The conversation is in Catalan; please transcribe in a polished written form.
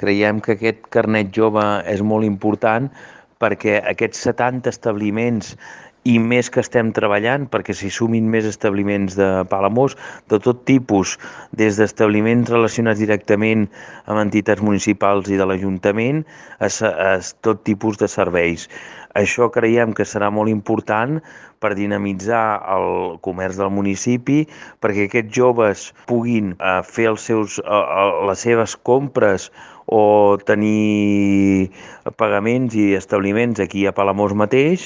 creiem que aquest carnet jove és molt important perquè aquests 70 establiments i més que estem treballant perquè s'hi sumin més establiments de Palamós, de tot tipus, des d'establiments relacionats directament amb entitats municipals i de l'Ajuntament a tot tipus de serveis. Això creiem que serà molt important per dinamitzar el comerç del municipi, perquè aquests joves puguin fer les seves compres o tenir pagaments i establiments aquí a Palamós mateix